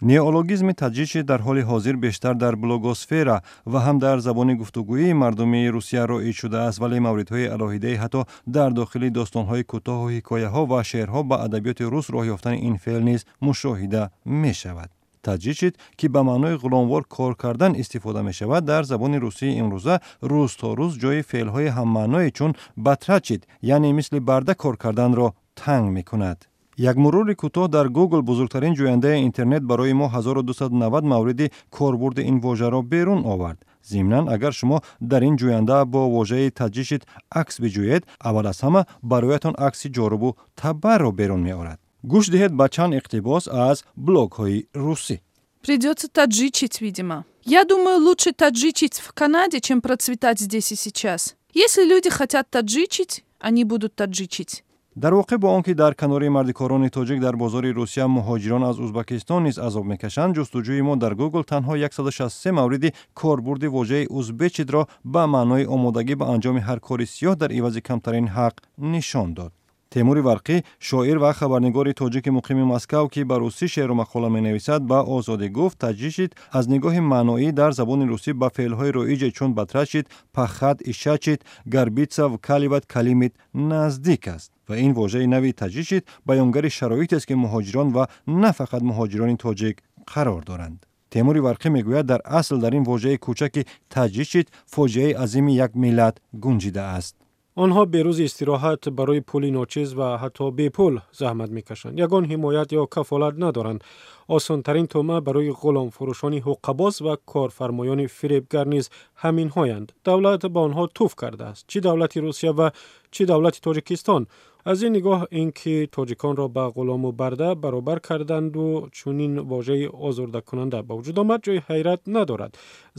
Неологизми таджичить дар ҳоли ҳозир бештар дар блогосфера ва ҳам дар забони гуфтугӯии мардуми Русия роиҷ шудааст, вале мавридҳои алоҳидае ҳатто дар дохили достонҳои кӯтоҳу ҳикояҳо ва шеърҳо ба адабиёти рус роҳ ёфтани ин феъл низ мушоҳида мешавад. Таджичить, ки ба маънои ғуломвор кор кардан истифода мешавад, дар забони русии имрӯза рӯз то рӯз ҷои феълҳои ҳаммаъное чун батрачить, яъне мисли барда кор карданро танг мекунад. Як мурури кӯтоҳ дар Google, бузургтарин ҷӯяндаи интернет, барои мо 1290 мавриди корбурди ин вожаро берун овард. Зимнан, агар шумо дар ин ҷӯянда бо вожаи таджичить акс биҷӯед, аввал аз ҳама бароятон акси ҷорубу табарро берун меорад. Гӯш диҳед ба чанд иқтибос аз блогҳои русӣ. Придется таджичить, видимо. Я думаю, лучше таджичить в Канаде, чем процветать здесь и сейчас. Если люди хотят таджичить, они будут таджичить. Дар воқеъ, бо он ки дар канори мардикорони тоҷик дар бозори Русия муҳоҷирон аз Узбакистон низ азоб мекашанд, ҷустуҷӯи мо дар Google танҳо 163 мавриди корбурди вожаи узбечить ро ба маънои омодагӣ ба анҷоми ҳар кори сиёҳ дар ивази камтарин ҳақ нишон дод. Темури Варқӣ, шоир ва хабарнигори тоҷики муқими Москав, ки ба русӣ шеъру мақола менависад, ба Озодӣ гуфт, таджичить аз нигоҳи маъноӣ дар забони русӣ ба феълҳои роиҷе чун батрачить, пахать, ишачить, горбиться, вкалывать, калимить наздик аст ва ин вожаи нави таджичить баёнгари шароитест, ки муҳоҷирон ва на фақат муҳоҷирони тоҷик қарор доранд. Темури Варқӣ мегӯяд, дар асл дар ин вожаи кӯчаки таджичить фоҷиаи азими як миллат гунҷидааст. Онҳо бе рӯзи истироҳат, барои пули ночиз ва ҳатто бепул заҳмат мекашанд, ягон ҳимоят ё кафолат надоранд. Осонтарин тӯъма барои ғуломфурӯшони ҳуққабоз ва корфармоёни фиребгар низ ҳаминҳоянд. Давлат ба онҳо туф кардааст, чӣ давлати Русия ва чӣ давлати Тоҷикистон. Аз ин нигоҳ, ин ки тоҷиконро ба ғулому барда баробар карданду чунин вожаи озурдакунанда ба вуҷуд омад, ҷои ҳайрат надорад.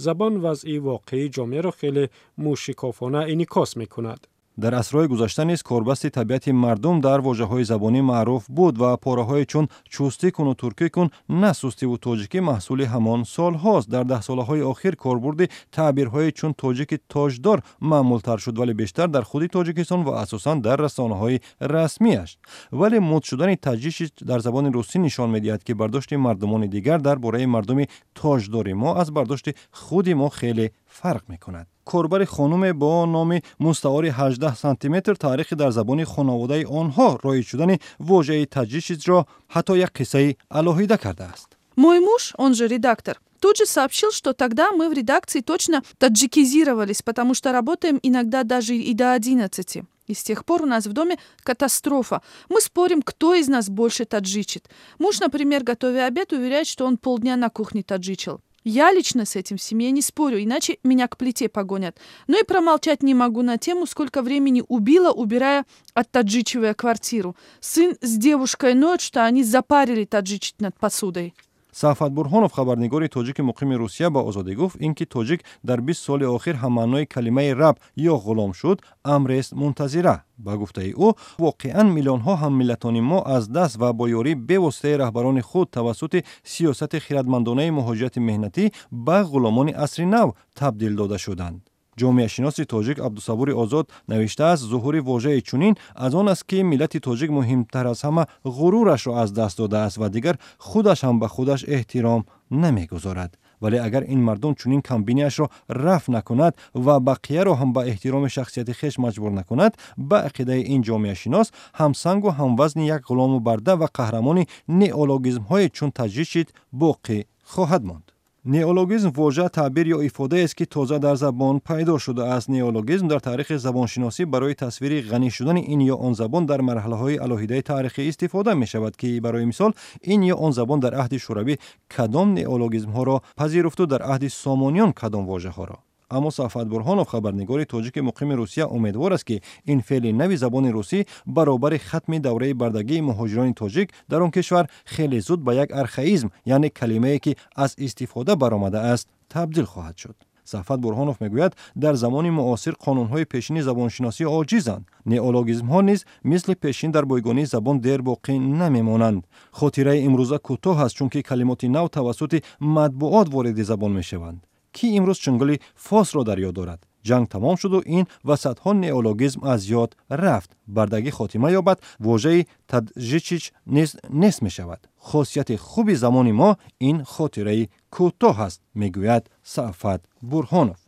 Забон вазъи воқеии ҷомеаро хеле мӯшикофона инъикос мекунад. Дар асрҳои гузашта низ корбасти табиати мардум дар вожаҳои забонӣ маъруф буд ва пораҳое чун чустӣ куну туркӣ кун, на сустиву тоҷикӣ маҳсули ҳамон солҳост. Дар даҳсолаҳои охир корбурди таъбирҳое чун тоҷики тоҷдор маъмултар шуд, вале бештар дар худи Тоҷикистон ва асосан дар расонаҳои расмиаш. Вале муд шудани таджичить дар забони русӣ нишон медиҳад, ки бардошти мардумони дигар дар бораи мардуми тоҷдори мо аз бардошти худи мо хеле фарқ мекунад. Корбари хонуме бо номи мустаори 18 сантиметр таърихи дар забони хонаводаи онҳо роиҷ шудани вожаи таджичить ро ҳатто як қиссаи алоҳида кардааст. Мой муж, он же редактор, тут же сообщил, что тогда мы в редакции точно таджикизировались, потому что работаем иногда даже и до 11. И с тех пор у нас в доме катастрофа. Мы спорим, кто из нас больше таджичит. Муж, например, готовя обед, уверяет, что он полдня на кухне таджичил. Я лично с этим в семье не спорю, иначе меня к плите погонят. Но и промолчать не могу на тему, сколько времени убила, убирая, оттаджичивая квартиру. Сын с девушкой ноют, что они запарили таджичить над посудой. Сафат Бурҳонов, хабарнигори тоҷики муқими Русия, ба Озодӣ гуфт, ин ки тоҷик дар 20 соли охир ҳаммаънои калимаи раб ё ғулом шуд, амрест мунтазира. Ба гуфтаи ӯ, воқеан миллионҳо ҳаммиллатони мо аз даст ва бо ёрии бевоситаи раҳбарони худ тавассути сиёсати хиратмандонаи муҳоҷирати меҳнатӣ ба ғуломони асри нав табдил дода шуданд. Ҷомеашиноси тоҷик Абдусабури Озод навиштааст, зуҳури вожаи чунин аз он аст, ки миллати тоҷик муҳимтар аз ҳама ғурурашро аз даст додааст ва дигар худаш ҳам ба худаш эҳтиром намегузорад. Вале агар ин мардум чунин камбиниашро рафъ накунад ва бақияро ҳам ба эҳтироми шахсияти хеш маҷбур накунад, ба ақидаи ин ҷомеашинос, ҳамсангу ҳамвазни як ғулому барда ва қаҳрамони неологизмҳое чун таджичить боқӣ хоҳад монд. Неологизм вожа, таъбир ё ифодаест, ки тоза дар забон пайдо шудааст. Неологизм дар таърихи забоншиносӣ барои тасвири ғанӣ шудани ин ё он забон дар марҳалаҳои алоҳидаи таърихӣ истифода мешавад, ки барои мисол ин ё он забон дар аҳди Шӯравӣ кадом неологизмҳоро пазируфту дар аҳди Сомониён кадом вожаҳоро. Аммо Сафат Бурҳонов, хабарнигори тоҷики муқими Русия, умедвор аст, ки ин феъли нави забони русӣ баробари хатми давраи бардагии муҳоҷирони тоҷик дар он кишвар хеле зуд ба як архаизм, яъне калимае, ки аз истифода баромадааст, табдил хоҳад шуд. Сафат Бурҳонов мегӯяд, дар замони муосир қонунҳои пешини забоншиносӣ оҷизанд, неологизмҳо низ мисли пешин дар бойгонии забон дер боқӣ намемонанд. Хотираи имрӯза кӯтоҳ аст, чунки калимоти нав тавассути матбуот вориди забон мешаванд. Кӣ имрӯз чунголи фосро дар ёд дорад? Ҷанг тамом шуду ин ва садҳо неологизм аз ёд рафт. Бардагӣ хотима ёбад, вожаи таджичич низ нест мешавад. Хосияти хуби замони мо ин хотираи кӯтоҳ аст, мегӯяд Сафат Бурҳонов.